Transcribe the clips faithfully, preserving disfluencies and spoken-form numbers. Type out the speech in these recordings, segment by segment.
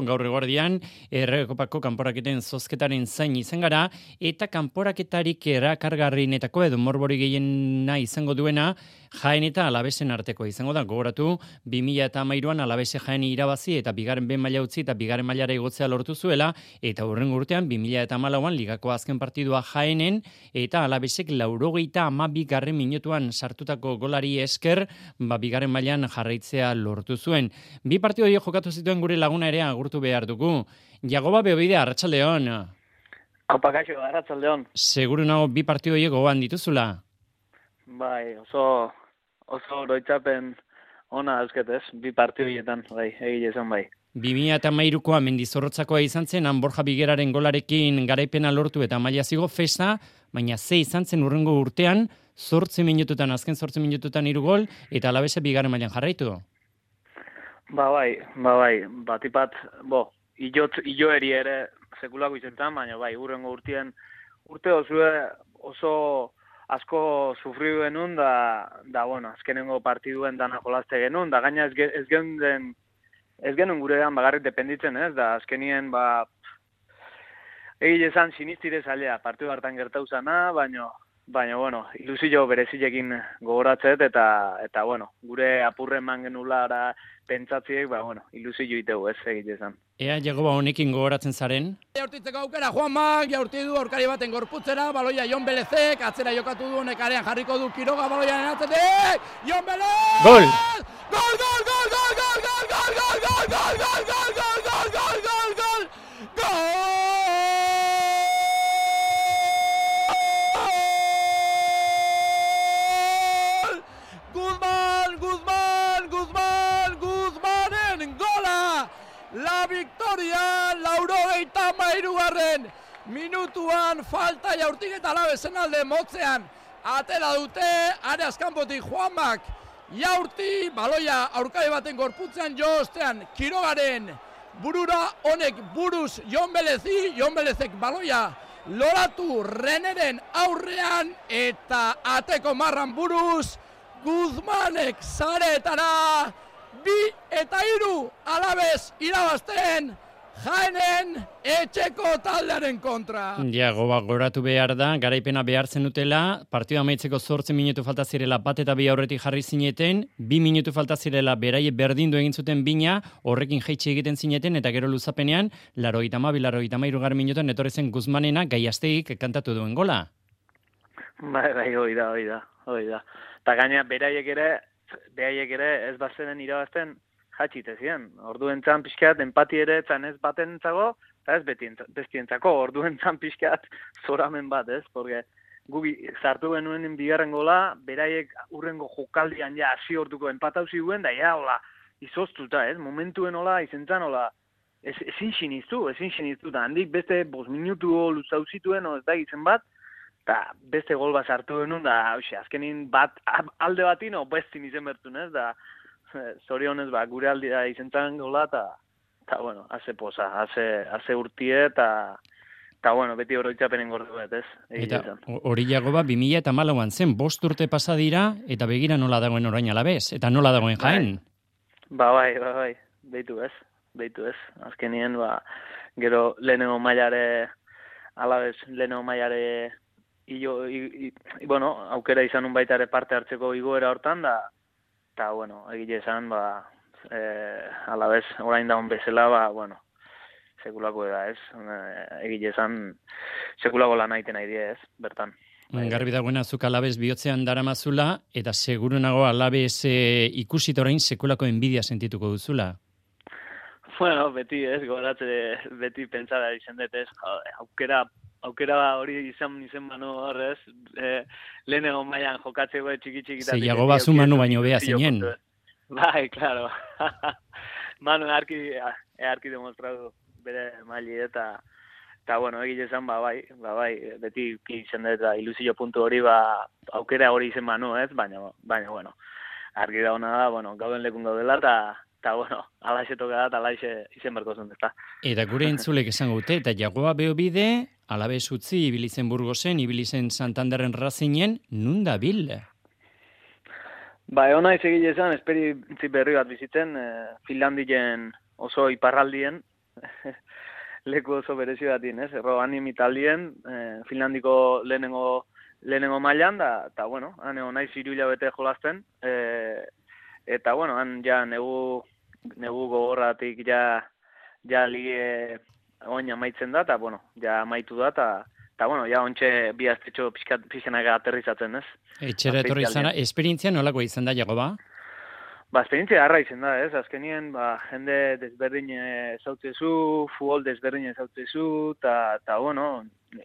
Gaur eguerdian, Errekopako kanporaketen zozketaren zain izan gara, eta kanporaketarik erakargarrienetako edo morbori gehiena izango duena Jaen eta Alabesen arteko izango da. Gogoratu, bi mila hamairuan Alabese Jaeni irabazi eta bigarren behin maila utzi eta bigarren mailara igotzea lortu zuela, eta hurrengo urtean, bi mila hamalauan ligako azken partidua Jaenen, eta Alabesek laurogeita hamabigarren minutuan sartutako golari esker, ba, bigarren mailan jarraitzea lortu zuen. Bi partidu horiek jokatu zituen gure laguna ere agurtu behar dugu. Jagoba Beobide, arratsaldeon. Aupa kaixo, arratsaldeon. Seguru nago bi partidu horiek gogoan dituzula? Bai, oso oso oroitzapen ona eusketez, bi partidu horietan, bai, egile esan bai. bi mila hamairukoa Mendizorrotzakoa izan zen, han Borja Bigeraren golarekin garaipena lortu eta maila zigo festa, baina ze izan zen hurrengo urtean, zortzi minututan, azken zortzi minututan hiru gol, eta Alabese bigarren mailan jarraitu. Ba bai, ba bai, batipat, bo, ilot, iloeri ere sekulako izentan, baina bai, hurrengo urtien, urte osue oso asko sufridu genuen, da, da bueno, azkenengo partiduen dana jolazte genuen, da gaina ez, ez genuen, ez genuen gurean bagarrik dependitzen, ez, da azkenien, ba, egile esan sinistire zailea, partidu hartan gertau zana, baina, baina, bueno, ilusio berezilekin gogoratzet, eta, eta, bueno, gure apurren man genulara pentsatziek, ba, bueno, ilusio iteu, ez, egile esan. Ea, Jagoba, honekin gogoratzen zaren? Jaurtitzeko aukera, Juanmak, jaurti du aurkari baten gorputzera, baloia Jon Belezek, atzera jokatu du honek arean jarriko du Quiroga baloiaren atzetik, Jon Belez! Gol! Gol, gol, gol, gol, gol, gol, gol, gol, gol, gol, gol, gol, gol, gol, gol, gol, gol, gol! Guzman, Guzman, Guzman, Guzmanen gola! La victoria, laurogeita hamairugarren minutuan falta jaurtik eta Alabesen alde motzean atera dute, areaz kanpotik Juanmak jaurti, baloia aurkari baten gorputzean jo ostean Quirogaren burura, honek buruz Jon Belezi, Jon Belezek baloia loratu Reneren aurrean eta ateko marran buruz Guzmanek zaretara bi eta hiru Alabes irabazten Jaenen etxeko taldearen kontra. Jagoba, goratu behar da, garaipena behartzen dutela, partida amaitzeko zortzi minutu falta zirela bat eta bi aurretik jarri zineten, bi minutu falta zirela beraie berdindu egin zuten bina, horrekin jaitsi egiten zineten, eta gero luzapenean, larogeita hamabi, larogeita hamairu garren minutuan etorri zen Guzmanena Gaiaztegik kantatu duen gola. Bai, bai, hoi da, hoi da, hoi da. Eta gaina beraiek ere, beraiek ere ez bazenen irabazten jatxite ziren. Orduentzan pixkat empati ere etzan ez baten entzago, eta ez bestientzako. Orduentzan pixkat zoramen bat, ez? Porque gubi sartu genuen bigarren gola, beraiek urrengo jokaldian ja hasi orduko empatau ziguen, da ja, hola, izoztuta, ez? Momentuen hola, izentzan, hola, ez, ezin siniztu, ezin siniztu, da handik beste bost minutu luzau zituen, o ez da gizen bat, eta beste gol bat sartu genuen, da, hoxe, azkenin bat, alde batino, bestin izen bertun, ez? Da, zorionez, ba, gure aldea izentzan gola, eta, eta, bueno, haze poza, haze, haze urtie, eta, eta, bueno, beti oroitzapenen gordu bet, ez? Eta hori Jagoba, bi mila hamalauan zen, bost urte pasa dira, eta begira nola dagoen orain Alabes, eta nola dagoen Jaen? Ba, bai, ba, bai, beitu ez, beitu ez. Azkenien, ba, gero lehenengo mailare, Alabes lehenengo mailare, ilo, i, i, bueno, aukera izan un baita ere parte hartzeko igoera hortan, da, eta, bueno, egile esan, ba, eh, Alabes orain daun bezala, ba, bueno, sekulako da, ez? Egile esan, sekulako lan aiten nahi die, ez? Bertan. Garbi dagoena, zuk Alabes bihotzean daramazula, eta seguru nago Alabes e, ikusita orain sekulako enbidia sentituko duzula. Bueno, beti, ez? Goratze, beti pentsara izan dut, ez? Aukera, aukera hori izan izen manu horrez, e, lehenengo mailan jokatzeko txiki txikita. Ze Jagoba zu Manu baino bea zinen. Bai, claro. Manu arki, arki demostratu bere maili eta, eta bueno, egile esan, ba, bai, ba, bai, beti izan dut, ilusio puntu hori, ba, aukera hori izen manu, ez? Baina, baina, bueno, argi da hona da, bueno, gauden lekun gaudela, eta, eta, bueno, alaxe toka da, eta alaxe izen berko zen, ezta. Eta gure entzulek esango dute, eta Jagoba Beobide, Alabes utzi, ibilizen Burgosen, ibilizen Santanderren Racingen, nun da bil? Ba, egon naiz egile esan, esperientzi berri bat bizitzen, eh, Finlandien oso iparraldien, leku oso berezi batin, ez? Erro anime taldien, eh, Finlandiko lehenengo lehenengo mailan da, eta bueno, han egon naiz hiru hilabete jolasten, eh, eta bueno, han ja negu negu gogorratik ja ja lige oin amaitzen da, eta bueno, ja amaitu da, eta eta bueno, ja ontxe bi astetxo pixkat pixenak aterrizatzen, ez? Etxera etorri zara, esperientzia nolako izan da, Jagoba? Ba, esperientzia harra izan da, ez? Azkenien, ba, jende desberdin ezautzezu, futbol desberdin ezautzezu, eta, bueno,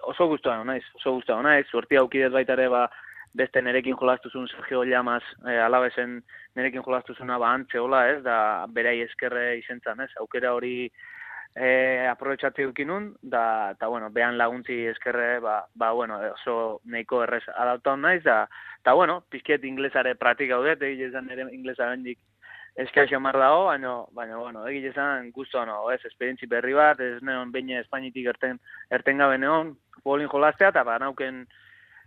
oso guztua naiz, oso guztua naiz, suertia aukidez baita ere, ba, beste nerekin jolastuzun Sergio Llamas, eh, alabesen nerekin jolastuzuna ba antze hola, ez? Da, berai eskerre izentzan, ez? Aukera hori eh, aprobetxatze dukinun, da, eta, bueno, behan laguntzi eskerre, ba, ba, bueno, oso neiko errez adaptatu naiz, da, eta, bueno, pizkiet inglesare praktika haudet, egile esan ere inglesa bendik eskaixo mar dago, baina, baina, bueno, egile esan guztua no, ez, esperientzi berri bat, ez neon behin Espainitik erten, erten gabe neon, futbolin jolastea, eta ba, nauken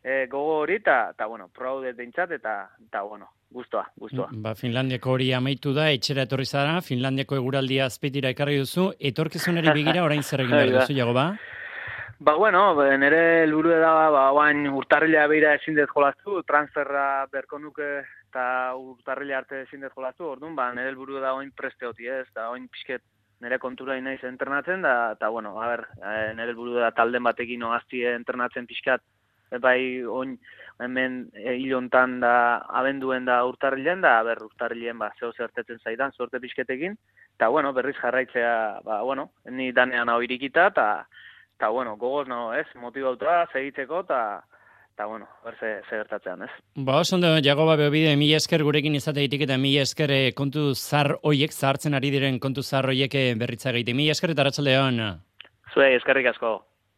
e, gogo hori, eta, bueno, praudet dintzat, eta, eta, bueno, guztua, guztua. Ba, Finlandiako hori amaitu da, etxera etorri zara, Finlandiako eguraldia azpeitira ekarri duzu, etorkizunari begira orain zer egin behar duzu, Jagoba? Ba, bueno, nire helburu da, ba, bain urtarrila beira ezin dut jolastu, transferra berko nuke eta urtarrila arte ezin dut jolastu, orduan, ba, nire helburu da oin preste hoti ez, eta oin pixket nire kontura inaiz entrenatzen, da, eta, bueno, a ber, nire helburu da talden batekin oazti entrenatzen pixkat, bai, oin, hemen hilontan da, abenduen da urtarrilen, da, ber, urtarrilen, ba, zeo zertetzen zaidan, zorte pixketekin, eta, bueno, berriz jarraitzea, ba, bueno, ni danean hau irikita, eta, eta, bueno, gogoz, no, ez, motibauta, segitzeko, eta, eta, bueno, berze, ze gertatzean, ez. Ba, oso ondo, Jagoba Beobide, mila esker gurekin izateitik, eta mila esker kontu zar hoiek, zahartzen ari diren kontu zar hoiek berritza egite. Mila esker eta arratsaldeon. Zuei, eskerrik asko.